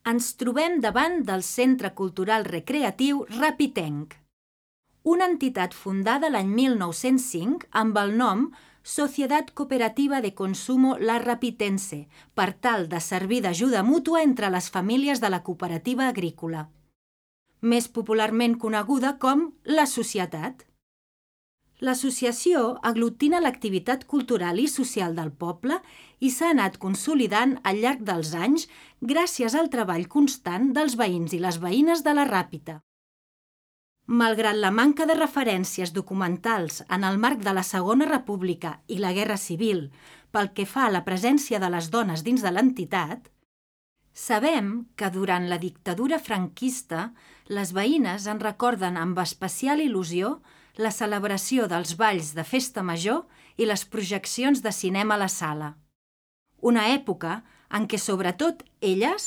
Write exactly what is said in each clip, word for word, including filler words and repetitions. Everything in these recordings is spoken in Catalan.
Ens trobem davant del Centre Cultural Recreatiu Rapitenc, una entitat fundada l'any mil nou-cents cinc amb el nom Sociedad Cooperativa de Consumo La Rapitense, per tal de servir d'ajuda mútua entre les famílies de la cooperativa agrícola, més popularment coneguda com la Societat. L'associació aglutina l'activitat cultural i social del poble i s'ha anat consolidant al llarg dels anys gràcies al treball constant dels veïns i les veïnes de la Ràpita. Malgrat la manca de referències documentals en el marc de la Segona República i la Guerra Civil pel que fa a la presència de les dones dins de l'entitat, sabem que durant la dictadura franquista les veïnes en recorden amb especial il·lusió la celebració dels balls de festa major i les projeccions de cinema a la sala. Una època en què, sobretot elles,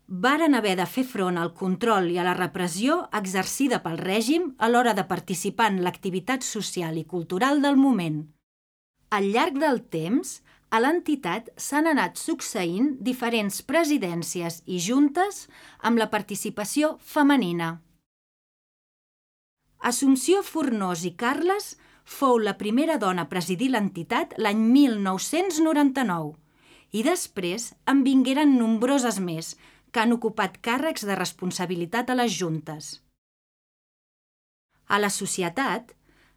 varen haver de fer front al control i a la repressió exercida pel règim a l'hora de participar en l'activitat social i cultural del moment. Al llarg del temps, a l'entitat s'han anat succeint diferents presidències i juntes amb la participació femenina. Assumpció Fornós i Carles fou la primera dona a presidir l'entitat l'any mil nou-cents noranta-nou i després en vingueren nombroses més que han ocupat càrrecs de responsabilitat a les juntes. A la societat,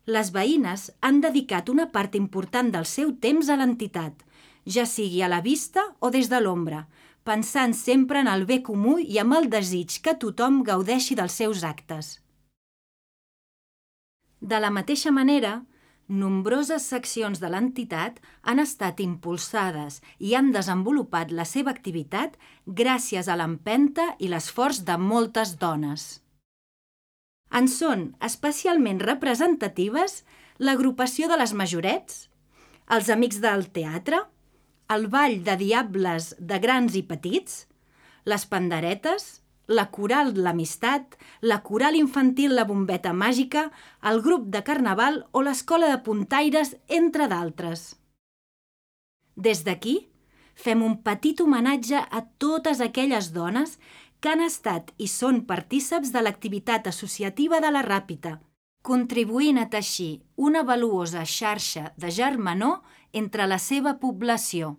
les veïnes han dedicat una part important del seu temps a l'entitat, ja sigui a la vista o des de l'ombra, pensant sempre en el bé comú i amb el desig que tothom gaudeixi dels seus actes. De la mateixa manera, nombroses seccions de l'entitat han estat impulsades i han desenvolupat la seva activitat gràcies a l'empenta i l'esforç de moltes dones. En són especialment representatives l'agrupació de les Majorets, els Amics del Teatre, el Ball de Diables de Grans i Petits, les Panderetes, la Coral L'Amistat, la Coral Infantil La Bombeta Màgica, el Grup de Carnaval o l'Escola de Puntaires, entre d'altres. Des d'aquí, fem un petit homenatge a totes aquelles dones que han estat i són partíceps de l'activitat associativa de la Ràpita, contribuint a teixir una valuosa xarxa de germanor entre la seva població.